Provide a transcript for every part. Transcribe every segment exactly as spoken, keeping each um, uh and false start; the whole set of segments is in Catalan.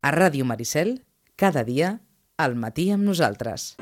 A Ràdio Maricel, cada dia, al matí amb nosaltres.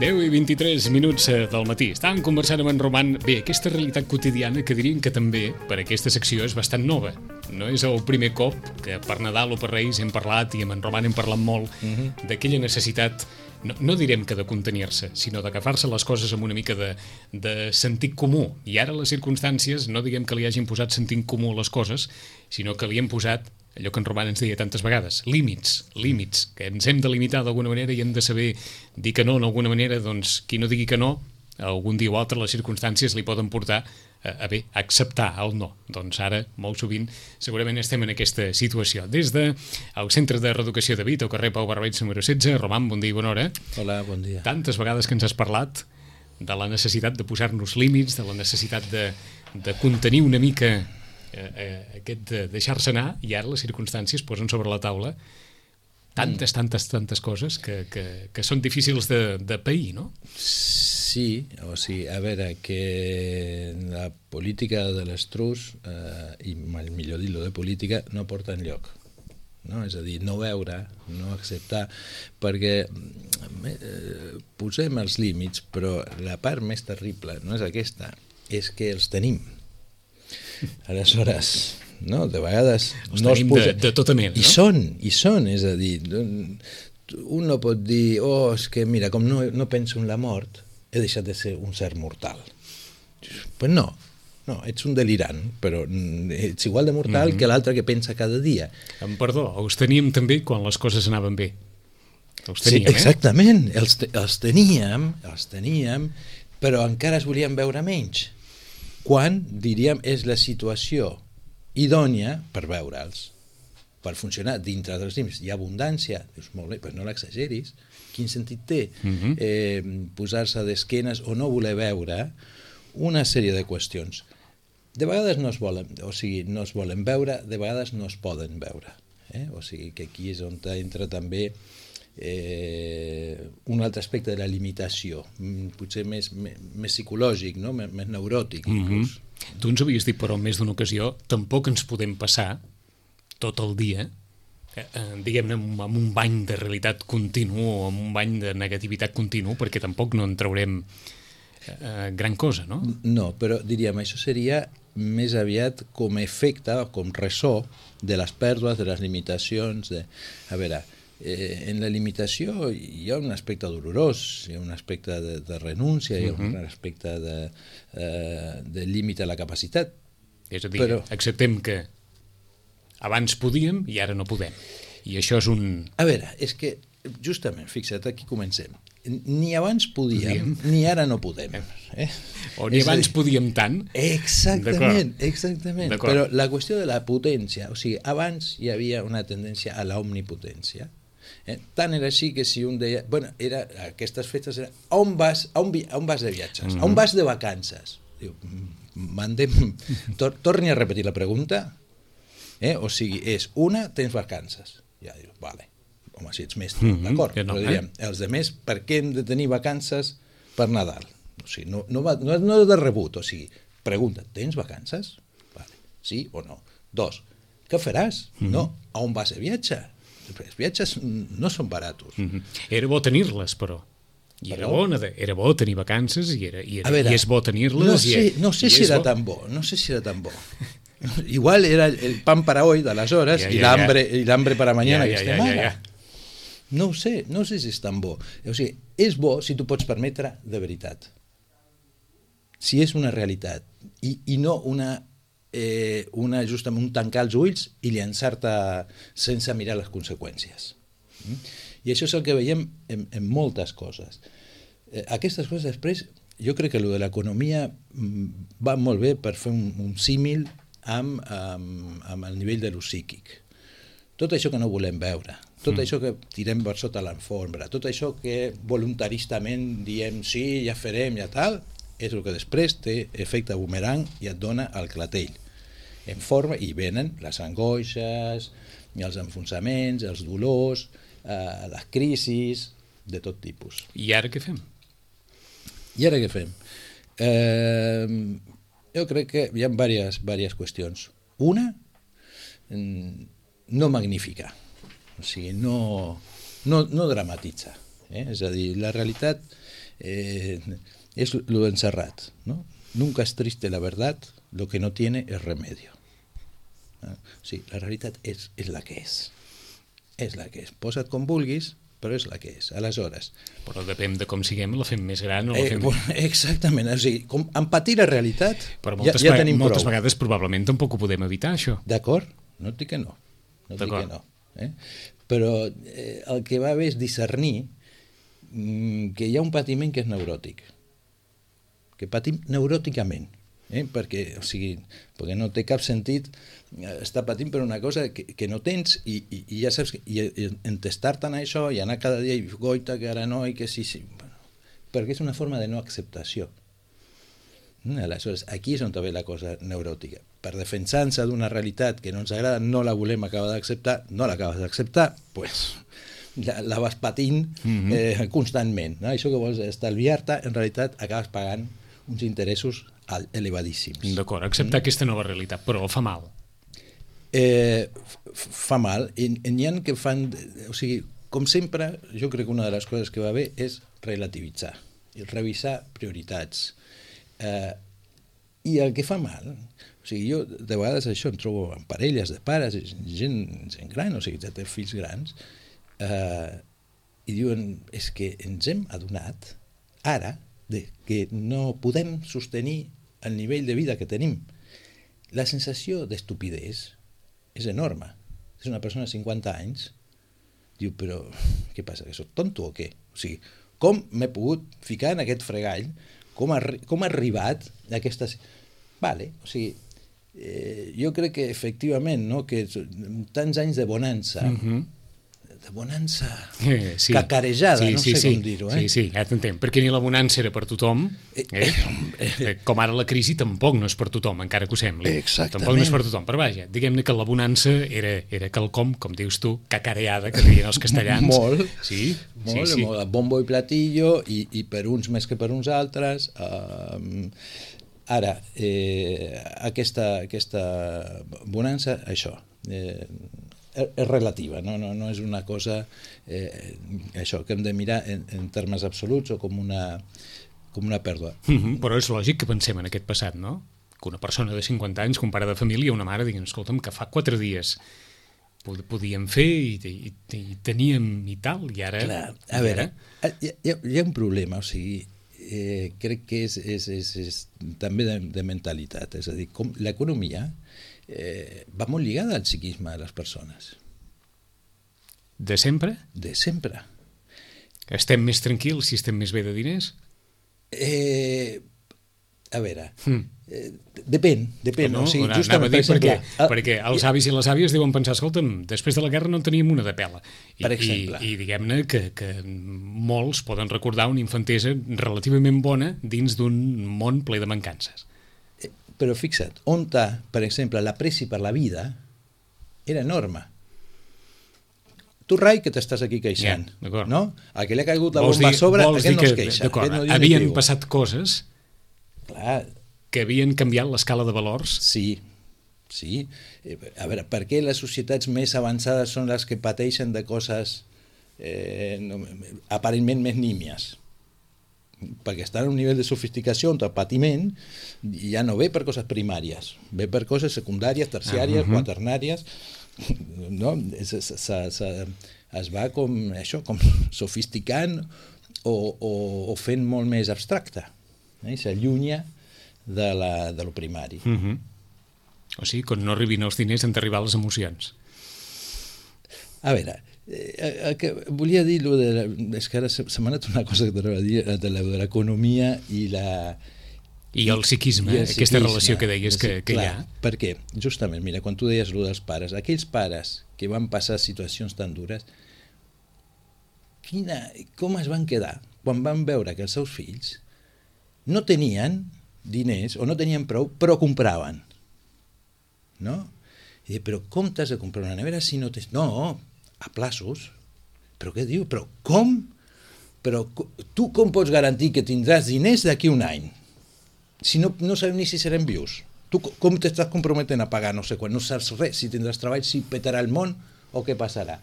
deu i vint-i-tres minuts del matí. Estàvem conversant amb en Roman. Bé, aquesta realitat quotidiana que diríem que també per aquesta secció és bastant nova. No és el primer cop que per Nadal o per Reis hem parlat, i amb en Roman hem parlat molt, uh-huh. d'aquella necessitat, no, no direm que de contenir-se, sinó d'agafar-se les coses amb una mica de, de sentit comú. I ara les circumstàncies, no diguem que li hagin posat sentit comú a les coses, sinó que li hem posat allò que en Roman ens deia tantes vegades, límits, límits, que ens hem de limitar d'alguna manera i hem de saber dir que no d'alguna manera. Doncs qui no digui que no, algun dia o altre les circumstàncies li poden portar a, a bé, a acceptar el no. Doncs ara, molt sovint, segurament estem en aquesta situació. Des del Centre de Reeducació de Vit, al carrer Pau Barbeig número setze. Roman, bon dia i bona hora. Hola, bon dia. Tantes vegades que ens has parlat de la necessitat de posar-nos límits, de la necessitat de, de contenir una mica Eh, eh, aquest de deixar-se anar, i ara les circumstàncies posen sobre la taula tantes, tantes, tantes coses que, que, que són difícils de, de pair, no? Sí, o sigui, a veure, que la política de l'estrus, eh, i millor dir-lo de política, no porta enlloc. No? És a dir, no veure, no acceptar, perquè eh, posem els límits, però la part més terrible no és aquesta, és que els tenim. Aleshores, no, de vegades els no es posa... de, de tota mena, no? I són, i són, és a dir, un no pot dir, oh, és que mira, com no, no penso en la mort, he deixat de ser un ser mortal. Pues no, no, ets un delirant, però ets igual de mortal mm-hmm. que l'altre que pensa cada dia. Em perdó, els teníem també quan les coses anaven bé. Els teníem, sí, exactament, eh? els, els teníem, els teníem, però encara es volien veure menys. Quan, diríem, és la situació idònia per veure'ls, per funcionar dintre dels límits. Hi ha abundància, dius, molt bé, però no l'exageris. Quin sentit té uh-huh. eh, posar-se d'esquenes o no voler veure una sèrie de qüestions? De vegades no es volen, o sigui, no es volen veure, de vegades no es poden veure. Eh? O sigui, que aquí és on entra també Eh, un altre aspecte de la limitació, potser més, més, més psicològic, no? més, més neuròtic. Mm-hmm. Tu ens havies dit, però en més d'una ocasió, tampoc ens podem passar tot el dia, eh, diguem-ne, amb, amb un bany de realitat continu o amb un bany de negativitat continu, perquè tampoc no en traurem eh, gran cosa, no? No, però diríem, això seria més aviat com a efecte, com ressò de les pèrdues, de les limitacions, de... A veure, Eh, en la limitació hi ha un aspecte dolorós, hi ha un aspecte de, de renúncia, hi ha un uh-huh. aspecte de, eh, de límit a la capacitat. És a dir, però... acceptem que abans podíem i ara no podem. I això és un... A veure, és que justament, fixa't, aquí comencem. Ni abans podíem, podíem. ni ara no podem. Eh? O ni és abans dir... podíem tant. Exactament, exactament. Però la qüestió de la potència, o sigui, abans hi havia una tendència a la omnipotència. Eh? Tant era així que si un deia... Bueno, era, aquestes festes eren... On vas, on, vi, on vas de viatges? Mm-hmm. On vas de vacances? Diu, mandem... Tor, torni a repetir la pregunta. Eh? O sigui, és una, tens vacances. Ja dius, vale, home, si ets mestre, Mm-hmm, d'acord, que no, però eh? diríem, els demés, per què hem de tenir vacances per Nadal? O sigui, no, no, va, no, no és de rebut, o sigui, pregunta, tens vacances? Vale. Sí o no? Dos, què faràs? Mm-hmm. No, a on vas a viatjar? Els viatges no són baratos. Mm-hmm. Era bo tenir-les, però. I era Però... bo, era bo tenir vacances i, era, i, era, veure, i és bo tenir-les. No sé, i, no sé i si és era bo. tan bo, no sé si era tan bo. Igual era el pan para hoy d'aleshores ja, i ja, l'hambre ja. i l'hambre para mañana ja, que ja, estem ja, ara. ja, ja. No ho sé, no sé si és tan bo. O sigui, és bo si tu pots permetre de veritat. Si és una realitat i, i no una, eh, una justament un tancar els ulls i llançar-te sense mirar les conseqüències. Mm? I això és el que veiem en, en moltes coses. Eh, aquestes coses després, jo crec que el de l'economia va molt bé per fer un, un símil amb, amb, amb el nivell de lo psíquic. Tot això que no volem veure, tot mm. això que tirem per sota l'alfombra, tot això que voluntaristament diem sí, ja farem, ja tal, és el que després té efecte boomerang i et dona el clatell. En forma, i venen les angoixes, els enfonsaments, els dolors, eh, les crisis, de tot tipus. I ara què fem? I ara què fem? Eh, jo crec que hi ha diverses, diverses qüestions. Una, no magnificar, o sigui, no, no, no dramatitzar. Eh? És a dir, la realitat eh, és lo encerrat, ¿no? Nunca es triste la verdad, lo que no tiene es remedio. Eh? O sigui, la realitat és, és la que és. És la que és. Posa't com vulguis, però és la que és. Aleshores... Però depèn de com siguem, la fem més gran o la fem... Eh, exactament, o sigui, com empatir la realitat però moltes, ja, ja tenim moltes prou. vegades probablement tampoc ho podem evitar, això. D'acord? No et dic que no. No et dic que no. Eh? Però eh, el que va bé és discernir mm, que hi ha un patiment que és neuròtic. Que patim neuròticament. Eh? Perquè, o sigui, perquè no té cap sentit estar patint per una cosa que, que no tens i, i, i ja saps que i, i entestar-te en això i anar cada dia i goita que ara no i que sí, sí bueno, perquè és una forma de no acceptació. Aleshores, aquí és on ve la cosa neuròtica. Per defensar-se d'una realitat que no ens agrada, no la volem acabar d'acceptar, no l'acabes d'acceptar, pues, la, la vas patint mm-hmm. eh, constantment. No? Això que vols estalviar-te, en realitat acabes pagant uns interessos elevadíssims. D'acord, acceptar mm? aquesta nova realitat, però fa mal. Eh, fa mal. I n'hi ha que fan... O sigui, com sempre, jo crec que una de les coses que va bé és relativitzar, i revisar prioritats. Eh, I el que fa mal... O sigui, jo de vegades això em trobo en parelles de pares, gent, gent gran, o sigui, ja té fills grans, eh, i diuen, és que ens hem adonat ara de que no podem sostenir el nivell de vida que tenim. La sensació d'estupidesa és enorme. És una persona de cinquanta anys, diu, però què passa, que soc tonto o què? O sigui, com m'he pogut ficar en aquest fregall? Com ha, com ha arribat a aquestes... Vale, o sigui, eh, jo crec que efectivament, no, que tants anys de bonança, mm-hmm. de bonança eh, sí. cacarejada, sí, no sí, sé sí. com dir-ho. Eh? Sí, sí, ja t'entenc, perquè ni la bonança era per tothom, eh? Eh, com ara la crisi tampoc no és per tothom, encara que ho sembli. Exactament. Tampoc no és per tothom, però vaja, diguem-ne que la bonança era, era quelcom, com dius tu, cacareada, que deien els castellans. Molt, sí, molt, sí, sí. molt, bombo i platillo, i, i per uns més que per uns altres. Uh, ara, eh, aquesta, aquesta bonança, això, eh, és relativa, no, no, no és una cosa eh, això que hem de mirar en, en termes absoluts o com una, com una pèrdua. Mm-hmm, però és lògic que pensem en aquest passat, no? Que una persona de cinquanta anys, un pare de família, una mare, diguin, escolta'm, que fa quatre dies podíem fer i, i, i teníem i tal, i ara... Clar, a veure, hi ha, hi ha un problema, o sigui, eh, crec que és, és, és, és també de, de mentalitat, és a dir, com l'economia Eh, va molt lligada al psiquisme de les persones. De sempre? De sempre. Estem més tranquils si estem més bé de diners? Eh, a veure, mm. eh, depèn, depèn. No, o sigui, no, justament, per exemple, perquè, el, perquè els avis i les àvies deuen pensar, escolta'm, després de la guerra no en teníem una de pela. I, per exemple. I, i diguem-ne que, que molts poden recordar una infantesa relativament bona dins d'un món ple de mancances. Però fixa't, on està, per exemple, l'apreci per la vida, era enorme. Tu, Rai, que t'estàs aquí queixant, yeah, no? A que li ha caigut la vols bomba dir, a sobre, vols aquest dir no es que, queixa. d'acord, No havien diu. passat coses Clar, que havien canviat l'escala de valors. sí, sí. A veure, per què les societats més avançades són les que pateixen de coses eh, no, aparentment més nímies? Perquè estan a un nivell de sofisticació on el patiment ja no ve per coses primàries, ve per coses secundàries, terciàries, uh -huh. quaternàries, no? Es, es, es, es va com això, com sofisticant o, o, o fent molt més abstracte, eh? S'allunya de, la, de lo primari. Uh -huh. O sigui, quan no arribin els diners han d'arribar les emocions. A veure, eh, que volia dir lo de la, és que ara se, se m'ha anat una cosa que t'anava a dir de l'economia i la I el psiquisme, I el aquesta psiquisme, relació que deies que, que clar, hi ha. Perquè, justament, mira, quan tu deies allò dels pares, aquells pares que van passar situacions tan dures, quina, com es van quedar quan van veure que els seus fills no tenien diners o no tenien prou, però compraven, no? I dic, però com t'has de comprar una nevera si no tens... No, a plaços. Però què diu? Però com? Però tu com pots garantir que tindràs diners d'aquí un any? Si no, no sabem ni si serem vius. Tu com t'estàs comprometent a pagar no sé quan? No saps res, si tindràs treball, si petarà el món o què passarà.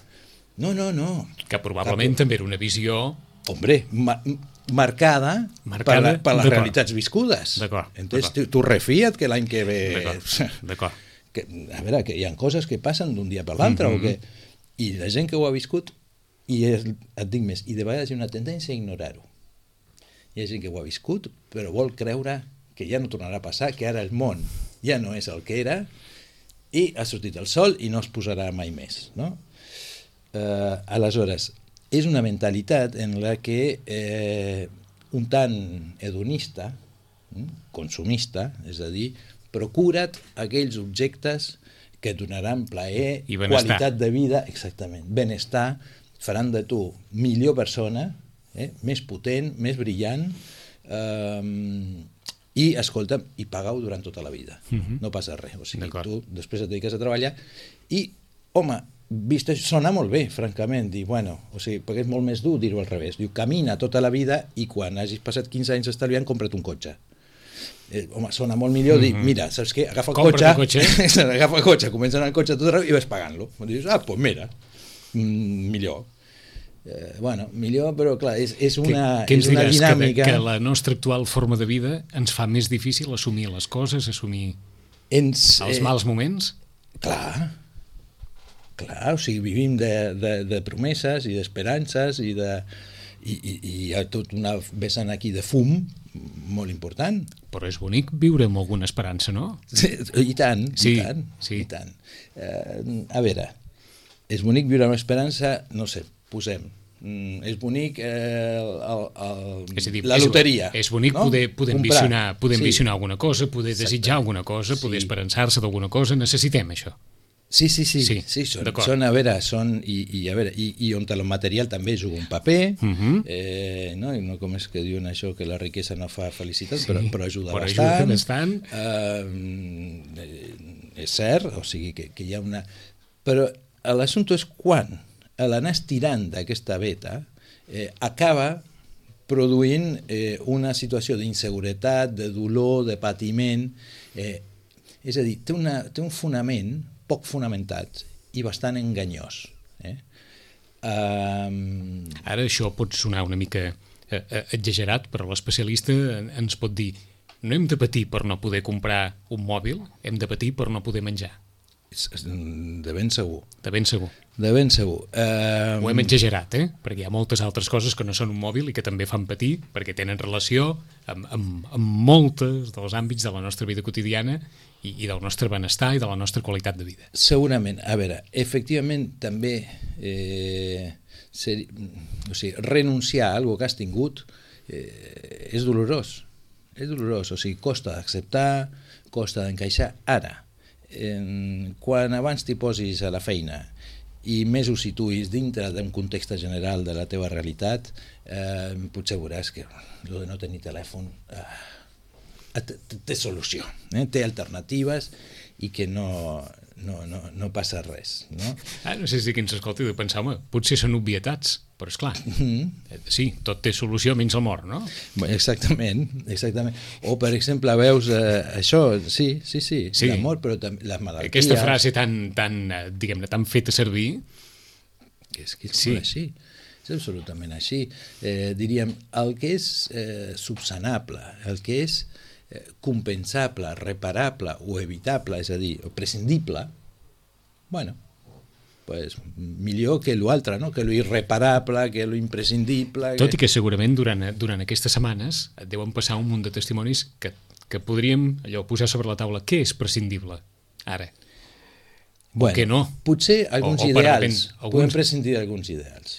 No, no, no. Que probablement també era una visió... Hombre, ma marcada, marcada per, la, per les realitats viscudes. D'acord. Entonces, tu, tu refia't que l'any que ve... D'acord. A veure, que hi ha coses que passen d'un dia per l'altre, mm-hmm. o que... I la gent que ho ha viscut, i és, et dic més, i de vegades hi ha una tendència a ignorar-ho. Hi ha gent que ho ha viscut, però vol creure que ja no tornarà a passar, que ara el món ja no és el que era, i ha sortit el sol i no es posarà mai més, no? Eh, aleshores, és una mentalitat en la que eh, un tant hedonista, consumista, és a dir, procura't aquells objectes que et donaran plaer, qualitat de vida, exactament, benestar, faran de tu millor persona, eh, més potent, més brillant, eh, i, escolta'm, i paga-ho durant tota la vida. Uh-huh. No passa res. O sigui, tu després et dediques a treballar i, home, vist això, sona molt bé, francament, dir, bueno, o sigui, perquè és molt més dur dir-ho al revés. Diu, camina tota la vida i quan hagis passat quinze anys estalviant, compra't un cotxe. Eh, home, sona molt millor dir, mira, saps què? Agafa el cotxe, cotxe. agafa el cotxe, comença a anar el cotxe tot arreu i vas pagant-lo. Dius, ah, doncs pues mira, mm, millor. Eh, bueno, millor, però clar, és, és una, que, és una dinàmica... Que, que la nostra actual forma de vida ens fa més difícil assumir les coses, assumir ens, els eh, mals moments? Clar, clar, o sigui, vivim de, de, de promeses i d'esperances i de... I, i, i hi ha tot una vessant aquí de fum molt important. Però és bonic viure amb alguna esperança, no? Sí, i tant, sí, i tant, sí. i tant. Eh, a veure, és bonic viure amb esperança, no sé, posem, mm, és bonic eh, el, el, és dir, la loteria. És, és bonic no? poder, poder ambicionar, poder sí. ambicionar alguna cosa, poder Exacte. desitjar alguna cosa, poder sí. esperançar-se d'alguna cosa, necessitem això. Sí, sí, sí, sí, sí són, són, a veure, són, i, i, a veure, i, i on el material també juga un paper, uh-huh. eh, no? I no com és que diuen això, que la riquesa no fa felicitat, sí, però, però ajuda però bastant. Ajuda bastant. Eh, és cert, o sigui que, que hi ha una... Però l'assumpte és quan l'anar estirant d'aquesta veta eh, acaba produint eh, una situació d'inseguretat, de dolor, de patiment, eh, és a dir, té, una, té un fonament poc fonamentat i bastant enganyós. Eh? Um... Ara això pot sonar una mica eh, exagerat, però l'especialista ens pot dir no hem de patir per no poder comprar un mòbil, hem de patir per no poder menjar. De ben segur. De ben segur. De ben segur. Um... Ho hem exagerat, eh? Perquè hi ha moltes altres coses que no són un mòbil i que també fan patir, perquè tenen relació amb, amb, amb moltes dels àmbits de la nostra vida quotidiana i, i del nostre benestar i de la nostra qualitat de vida. Segurament. A veure, efectivament també eh, ser, o sigui, renunciar a alguna que has tingut eh, és dolorós. És dolorós, o sigui, costa d'acceptar, costa d'encaixar. Ara, eh, quan abans t'hi posis a la feina i més ho situïs dintre d'un context general de la teva realitat, eh, potser veuràs que el de no tenir telèfon eh, té solució, eh? Té alternatives i que no, no, no, no passa res, no? Ah, no sé si qui ens escolta i de pensar, home, potser són obvietats, però és clar, mm-hmm. sí, tot té solució menys el mort, no? Exactament, exactament. O, per exemple, veus eh, això, sí, sí, sí, sí. l'amor, però també les malalties. Aquesta frase tan, tan diguem-ne, tan feta servir... És que és sí. així, és absolutament així. Eh, diríem, el que és eh, subsanable, el que és eh, compensable, reparable o evitable, és a dir, o prescindible, bueno, pues, millor que l'altre, no? Que lo irreparable, que lo imprescindible... Tot i que segurament durant, durant aquestes setmanes et deuen passar un munt de testimonis que, que podríem allò posar sobre la taula. Què és prescindible ara? Bueno, que no. Potser alguns o, o ideals, repent, alguns... podem prescindir d'alguns ideals.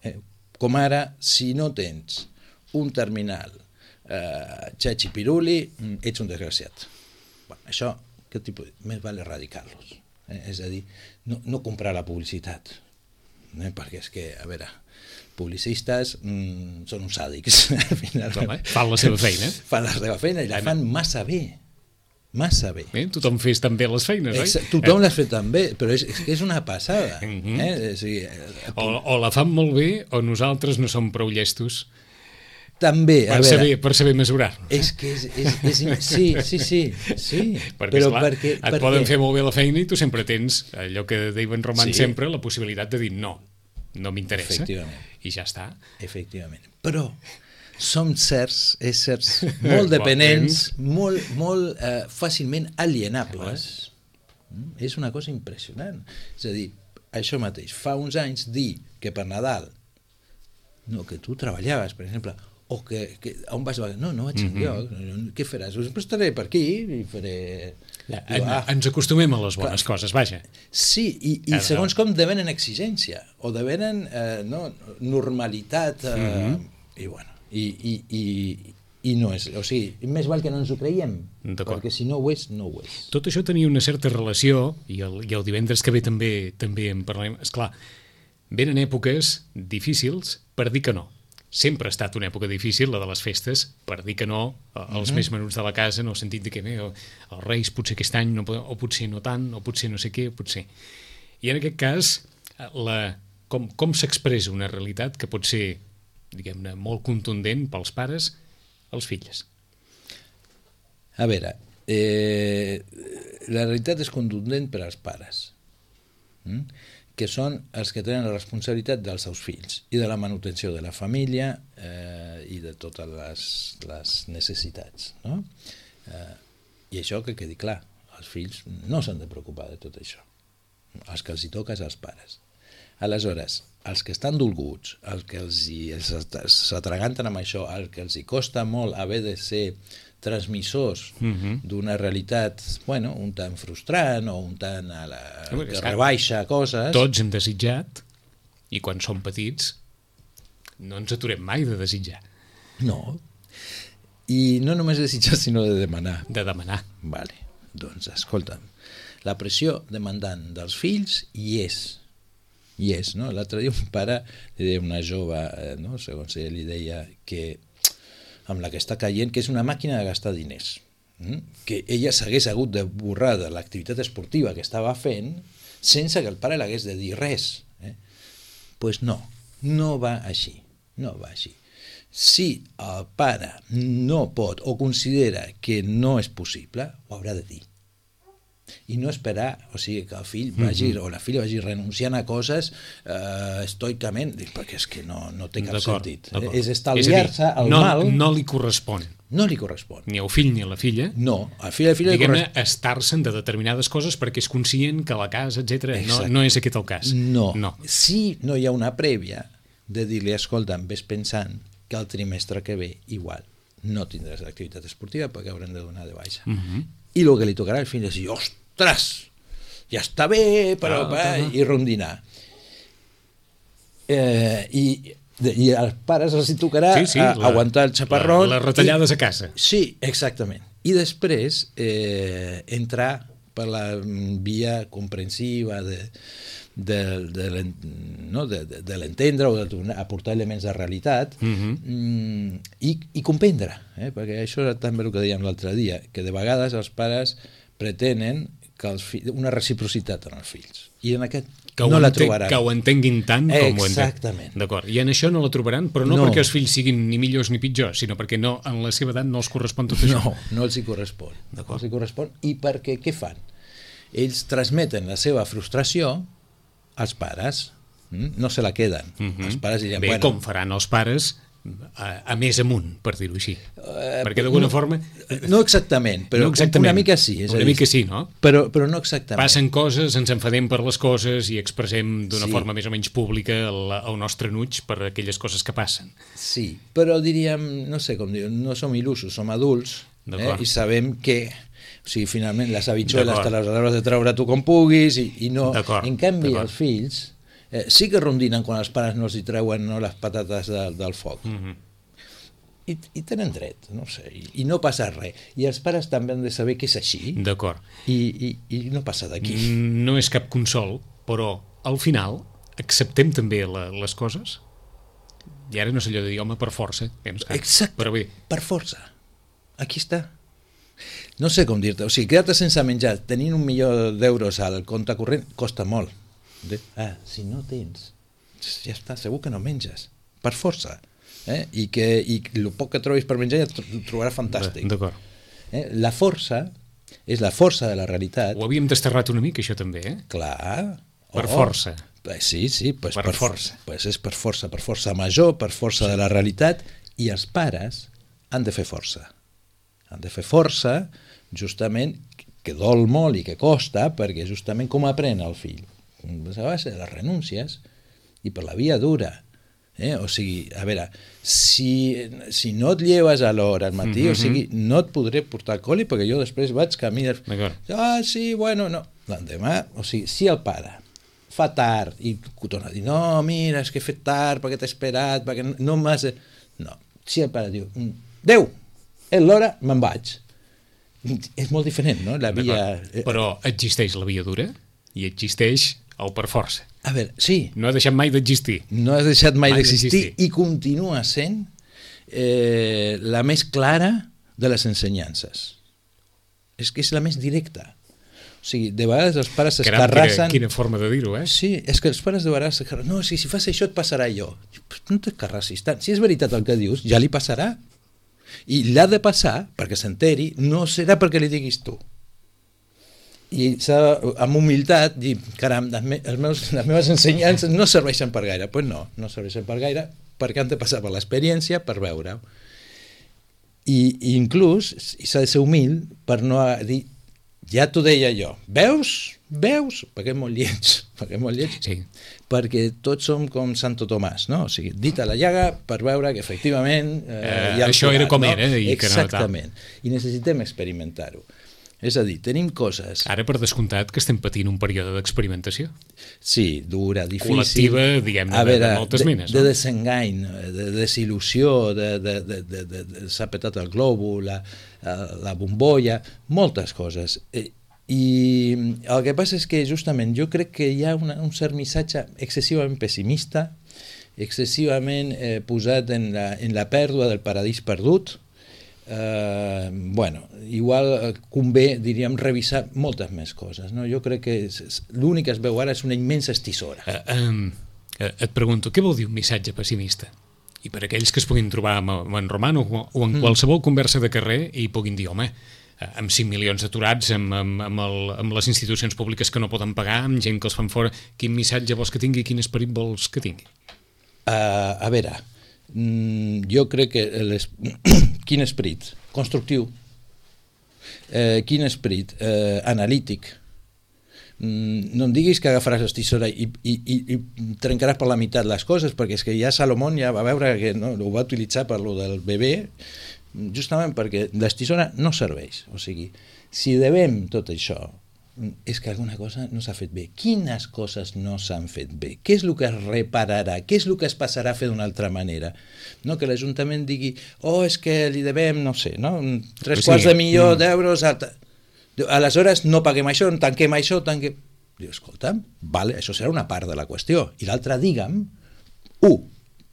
Eh, com ara, si no tens un terminal eh, xachi-piruli, ets un desgraciat. Bueno, això, què tipus? Més val erradicar-los. Eh? És a dir, no, no comprar la publicitat. Eh? Perquè és que, a veure, publicistes mm, són uns sàdics. Al final, Home, fan la seva feina. Fan la seva feina i la fan massa bé. Massa bé. Eh? Tothom fes també les feines, oi? Exacte, tothom eh? les fa també, però és, és que és una passada. Mm-hmm. eh? o, sigui, aquí... o, o la fan molt bé o nosaltres no som prou llestos també, a per, veure, saber, per saber mesurar. És que és... és, és sí, sí, sí. sí perquè, però esclar, perquè, et perquè... poden fer molt bé la feina i tu sempre tens allò que deien Roman sí. sempre, la possibilitat de dir no, no m'interessa. Efectivament. I ja està. Efectivament. Però som certs, éssers molt dependents, molt, molt eh, fàcilment alienables. Mm? És una cosa impressionant. És a dir, això mateix, fa uns anys dir que per Nadal, no, que tu treballaves, per exemple, o que, que on vas? No, no vaig enlloc. Mm-hmm. Què faràs? Pues estaré per aquí i faré... Ja, en, ah. Ens acostumem a les bones clar. coses, vaja. Sí, i, i segons com devenen exigència, o devenen eh, no, normalitat, eh, mm-hmm. i bueno, I, i, i, i no és, o sigui, més val que no ens ho creiem, perquè si no ho és, no ho és. Tot això tenia una certa relació, i el, i el divendres que ve també també en parlarem, esclar, venen èpoques difícils per dir que no. Sempre ha estat una època difícil, la de les festes, per dir que no als uh-huh. més menuts de la casa, en el sentit de que bé, els Reis potser aquest any, no, o potser no tant, o potser no sé què, potser. I en aquest cas, la, com, com s'expressa una realitat que pot ser diguem-ne, molt contundent pels pares, als fills. A veure, eh, la realitat és contundent per als pares, mm? que són els que tenen la responsabilitat dels seus fills i de la manutenció de la família eh, i de totes les, les necessitats. No? Eh, I això que quedi clar, els fills no s'han de preocupar de tot això. Els que els hi toca és als pares. Aleshores, els que estan dolguts, els que els hi, s'atraganten amb això, els que els hi costa molt haver de ser transmissors uh-huh. d'una realitat, bueno, un tant frustrant o un tant a la, sí, que rebaixa coses... Tots hem desitjat, i quan som petits no ens aturem mai de desitjar. No, i no només desitjar, sinó de demanar. De demanar. Vale, doncs escolta'm, la pressió demandant dels fills hi és, i és, no? L'altre dia un pare li deia una jove, eh, no? Segons ell li deia que amb la que està caient, que és una màquina de gastar diners, mm? que ella s'hagués hagut de borrar de l'activitat esportiva que estava fent sense que el pare l'hagués de dir res. Eh? Pues no, no va així, no va així. Si el pare no pot o considera que no és possible, ho haurà de dir. I no esperar, o sigui, que el fill vagi, mm-hmm. o la filla vagi renunciant a coses eh, estoicament, perquè és que no, no té cap sentit. Eh? És estalviar-se el no, mal... No li correspon. No li correspon. Ni al fill ni a la filla. No, al fill i a la filla li correspon. Diguem-ne, estar-se'n de determinades coses perquè és conscient que la casa, etcètera, no, no és aquest el cas. No. no. Si no hi ha una prèvia de dir-li, escolta, ves pensant que el trimestre que ve igual no tindràs l'activitat esportiva perquè haurem de donar de baixa. Mm-hmm. I el que li tocarà al fill és dir, ostres, ostres, ja està bé, però ah, va, i rondinar. Eh, i, I als pares els hi tocarà sí, sí, a, la, aguantar el xaparrón. La, les retallades i, a casa. Sí, exactament. I després eh, entrar per la via comprensiva de, de, de, no, de, de, de l'entendre o de aportar elements de realitat mm-hmm. i, i comprendre, eh? Perquè això era també el que dèiem l'altre dia, que de vegades els pares pretenen que els fills, una reciprocitat en els fills. I en aquest que no la enten, trobaran. que ho entenguin tant com ho entenc. Exactament. D'acord. I en això no la trobaran, però no, No. perquè els fills siguin ni millors ni pitjors, sinó perquè no, en la seva edat no els correspon tot això. No, no els hi correspon. D'acord. No els hi correspon. I perquè què fan? Ells transmeten la seva frustració als pares. Mm? No se la queden. Mhm. Els pares diran, Bé, bueno, com faran els pares a, a més amunt, per dir-ho així. Eh, perquè d'alguna no, forma... no exactament, però no exactament. una mica sí. És una a dir, mica sí, no? Però, però no exactament. Passen coses, ens enfadem per les coses i expressem d'una Sí. forma més o menys pública el, el nostre enuig per aquelles coses que passen. Sí, però diríem, no sé com dir, no som il·lusos, som adults, eh? I sabem que, o sigui, finalment les habitxueles te les hauràs de treure tu com puguis i, i no... En canvi, els fills eh, sí que rondinen quan els pares no els hi treuen no, les patates de, del foc. Mm-hmm. I, i tenen dret, no sé, i, i no passa res. I els pares també han de saber que és així. D'acord. I, i, i no passa d'aquí. No és cap consol, però al final acceptem també la, les coses? I ara no sé allò de dir, home, per força. Exacte, però bé. per força. Aquí està. No sé com dir-te, o sigui, quedar-te sense menjar tenint un milió d'euros al compte corrent costa molt. Ah, si no tens, ja està, segur que no menges, per força. Eh? I que i el poc que trobis per menjar ja ho trobaràs fantàstic. D'acord. Eh? La força és la força de la realitat. Ho havíem desterrat una mica, això també, eh? Clar. Per oh. força. Sí, sí, pues per, per força. Pues és per força, per força major, per força sí. de la realitat, i els pares han de fer força. Han de fer força, justament, que dol molt i que costa, perquè justament com aprèn el fill? A base de les renúncies i per la via dura. Eh? O sigui, a veure, si, si no et lleves a l'hora al matí, mm-hmm. o sigui, no et podré portar al col·li perquè jo després vaig camí de... Ah, sí, bueno, no. L'endemà, o sigui, si el pare fa tard i torna a dir, no, mira, és que he fet tard perquè t'he esperat, perquè no m'has... No, si el pare diu, Déu, és l'hora, me'n vaig. És molt diferent, no? La via... Però existeix la via dura i existeix el per força. A veure, sí. No ha deixat mai d'existir. No ha deixat mai, mai d'existir i continua sent eh, la més clara de les ensenyances. És que és la més directa. O sigui, de vegades els pares s'escarrassen... Quina, quina forma de dir-ho, eh? Sí, és que els pares de vegades s'escarrassen... No, si, si fas això et passarà allò. No t'escarrassis tant. Si és veritat el que dius, ja li passarà. I l'ha de passar, perquè s'enteri, no serà perquè li diguis tu. I s'ha, amb humilitat, dir, caram, les, me, els meus, les meves ensenyances no serveixen per gaire. Doncs pues no, no serveixen per gaire, perquè han de passar per l'experiència per veure-ho. I, i inclús s'ha de ser humil per no dir, ja t'ho deia jo, veus? Veus? Perquè és molt lleig, perquè és molt lleig, sí. Perquè tots som com Santo Tomàs, no? O sigui, dit a la llaga per veure que efectivament... Eh, eh, ja això era com no? era. I exactament, que no, i necessitem experimentar-ho. És a dir, tenim coses... Ara, per descomptat, que estem patint un període d'experimentació. Sí, dura, difícil. Col·lectiva, diguem-ne, de, de moltes de, menes. De, no? de desengany, de desil·lusió, de, de, de, de, de, de s'ha petat el globo, la, la bombolla, moltes coses. I el que passa és que, justament, jo crec que hi ha una, un cert missatge excessivament pessimista, excessivament eh, posat en la, en la pèrdua del paradís perdut. Uh, bueno, igual convé, diríem, revisar moltes més coses, no? Jo crec que l'únic que es veu ara és una immensa estissora. Uh, um, uh, et pregunto, què vol dir un missatge pessimista? I per aquells que es puguin trobar amb, amb en Roman o, o en mm. qualsevol conversa de carrer i puguin dir, home, amb cinc milions d'aturats, amb, amb, amb, el, amb les institucions públiques que no poden pagar, amb gent que els fan fora, quin missatge vols que tingui, quin esperit vols que tingui? Uh, a veure, mm, jo crec que les... quin esperit constructiu, eh, quin esperit eh, analític. Mm, no em diguis que agafaràs l'estisora i, i, i, i trencaràs per la meitat les coses, perquè és que ja Salomón ja va veure que no, ho va utilitzar per lo del bebè, justament perquè l'estisora no serveix. O sigui, si devem tot això, és que alguna cosa no s'ha fet bé. Quines coses no s'han fet bé? Què és el que es repararà? Què és el que es passarà a fer d'una altra manera? No, que l'Ajuntament digui, oh, és que li devem, no sé, no? tres sí. quarts de milió mm. d'euros, alta. Aleshores no paguem això, tanquem això, tanquem... Diu, escolta'm, vale, això serà una part de la qüestió. I l'altra, digue'm, u,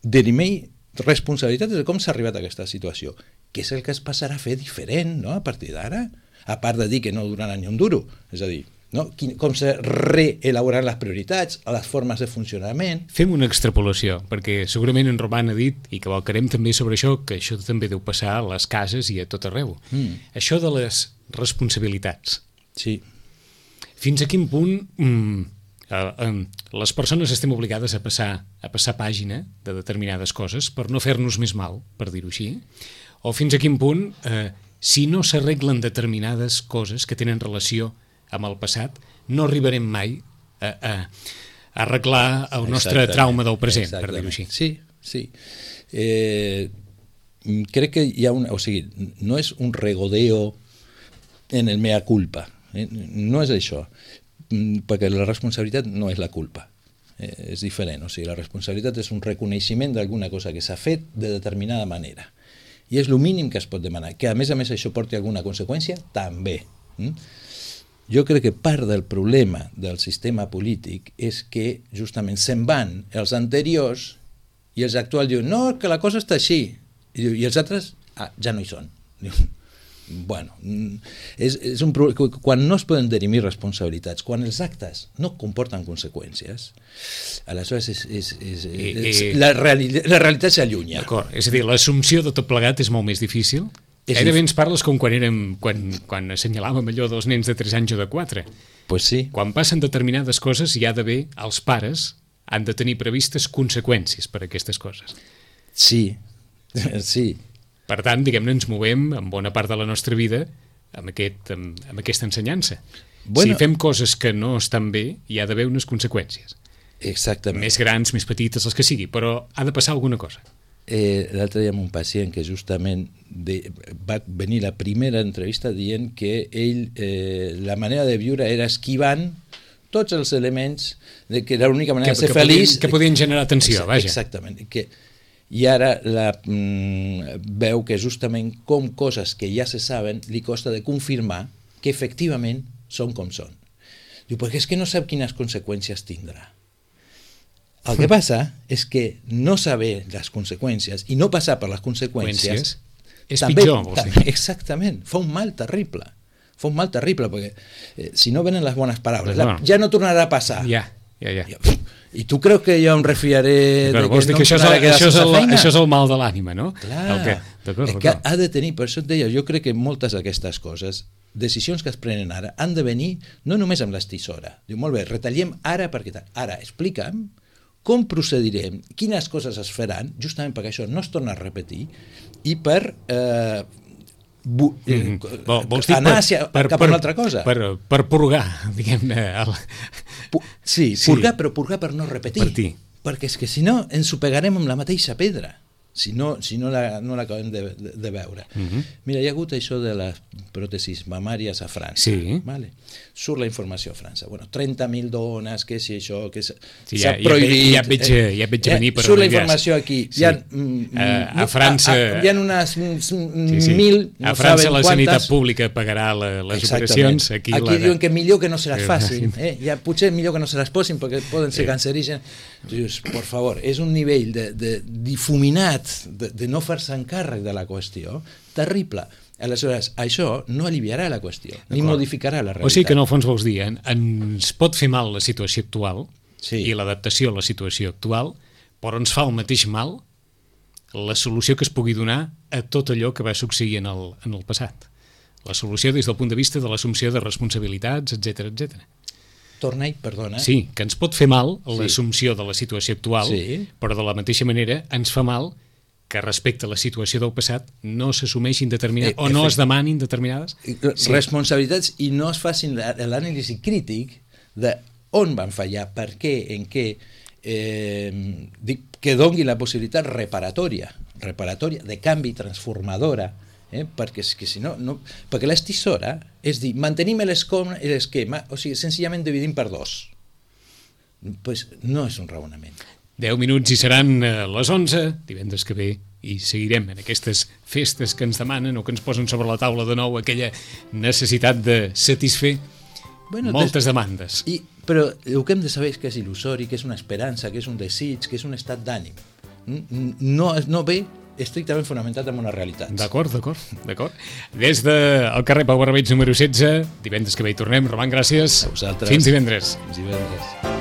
dirimei responsabilitats de com s'ha arribat a aquesta situació. Què és el que es passarà a fer diferent, no?, a partir d'ara? A part de dir que no durarà ni un duro, és a dir, no? Quin, com se reelaboraran les prioritats, les formes de funcionament. Fem una extrapolació, perquè segurament en Roman ha dit, i que valcarem també sobre això, que això també deu passar a les cases i a tot arreu. Mm. Això de les responsabilitats. Sí. Fins a quin punt mm, eh, eh, les persones estem obligades a passar, a passar pàgina de determinades coses per no fer-nos més mal, per dir-ho així, o fins a quin punt, eh, si no s'arreglen determinades coses que tenen relació amb el passat, no arribarem mai a, a, a arreglar el nostre exactament, trauma del present, per dir-ho així. Sí, sí. Eh, crec que hi ha un... O sigui, no és un regodeo en el mea culpa. Eh? No és això. Perquè la responsabilitat no és la culpa. Eh, és diferent. O sigui, la responsabilitat és un reconeixement d'alguna cosa que s'ha fet de determinada manera. I és el mínim que es pot demanar. Que a més a més això porti alguna conseqüència, també. Mm? Jo crec que part del problema del sistema polític és que justament se'n van els anteriors i els actuals diuen no, que la cosa està així. I, diu, i els altres ah, ja no hi són. Diu, bueno, és, és un problema. Quan no es poden dirimir responsabilitats, quan els actes no comporten conseqüències, aleshores és, és, és, és, és, la, reali la realitat s'allunya. D'acord, és a dir, l'assumpció de tot plegat és molt més difícil. Gairebé ens parles com quan érem quan, quan assenyalàvem allò dels nens de tres anys o de quatre. Pues sí. Quan passen determinades coses hi ha d'haver, els pares han de tenir previstes conseqüències per a aquestes coses. Sí, sí. Per tant, diguem-ne, ens movem en bona part de la nostra vida amb, aquest, amb, amb aquesta ensenyança. Bueno, si fem coses que no estan bé, hi ha d'haver unes conseqüències. Exactament. Més grans, més petites, els que sigui, però ha de passar alguna cosa. Eh, L'altre dia amb un pacient que justament de, va venir la primera entrevista dient que ell, eh, la manera de viure era esquivant tots els elements de que era l'única manera que, de ser que feliç. Podien, que podien generar tensió, Exacte, vaja. Exactament. Que, I ara la, mm, veu que justament com coses que ja se saben li costa de confirmar que efectivament són com són. Diu, perquè és que no sap quines conseqüències tindrà. El que passa és que no saber les conseqüències i no passar per les conseqüències és també, pitjor, vols dir. Exactament, fa un mal terrible. Fa un mal terrible, perquè eh, si no venen les bones paraules, Però, la, ja no tornarà a passar. Ja, ja, ja. I, I tu creus que jo em refiaré Però de vols que dir no que això és, el, això, és el, això és el mal de l'ànima, no? Clar, el que, és que ha de tenir, per això et deia, jo crec que moltes d'aquestes coses, decisions que es prenen ara, han de venir no només amb l'estisora. Diu, molt bé, retallem ara perquè tal. Ara, explica'm com procedirem, quines coses es faran, justament perquè això no es torna a repetir, i per eh, bu, eh, mm -hmm. Vols dir anar per, hacia, per, cap a per, una altra cosa. Per, per purgar, diguem-ne. El... Sí, sí, purgar, però purgar per no repetir. Per ti. Perquè és que si no ens ho pegarem amb la mateixa pedra. Si no, si no l'acabem la, no de, de, de veure. Uh -huh. Mira, hi ha hagut això de les pròtesis mamàries a França. Sí. Vale? Surt la informació a França. Bueno, trenta mil dones, que si això, que s'ha sí, ja, prohibit. Ja, ja, veig, ja veig a venir per surt la informació aquí. Sí. Hi ha, mm, a, a França... A, a, hi ha unes mm, sí, sí. mil, no a França la quantes. Sanitat Pública pagarà la, les operacions. Aquí, aquí la... diuen que millor que no se les facin. Eh? Ja, potser millor que no se les posin perquè poden ser sí. cancerígens. Dius, por favor, és un nivell de, de difuminat, de, de no fer-se encàrrec de la qüestió, terrible. Aleshores, això no aliviarà la qüestió, ni modificarà la realitat. O sigui que en el fons vols dir, en, ens pot fer mal la situació actual sí. i l'adaptació a la situació actual, però ens fa el mateix mal la solució que es pugui donar a tot allò que va succeir en el, en el passat. La solució des del punt de vista de l'assumpció de responsabilitats, etcètera, etcètera. Torna-hi, perdona. Sí, que ens pot fer mal l'assumpció de la situació actual, sí. però de la mateixa manera ens fa mal que respecte a la situació del passat no s'assumeixin determinades, eh, o no es demanin determinades sí. responsabilitats i no es facin l'anàlisi crític de on van fallar, per què, en què, eh, que doni la possibilitat reparatòria, reparatòria, de canvi, transformadora, eh? perquè és que si no, no perquè l'estisora és dir, mantenim l'esquema, o sigui, senzillament dividim per dos. Pues no és un raonament. deu minuts i seran les onze, divendres que ve, i seguirem en aquestes festes que ens demanen o que ens posen sobre la taula de nou aquella necessitat de satisfer bueno, moltes des... demandes. I, però el que hem de saber és que és il·lusori, que és una esperança, que és un desig, que és un estat d'ànim. No, no ve estrictament fonamentat en una realitat. D'acord, d'acord, d'acord. Des del carrer Pau Barbeig número setze, divendres que ve hi tornem. Roman, gràcies. A vosaltres. Fins divendres. Fins divendres.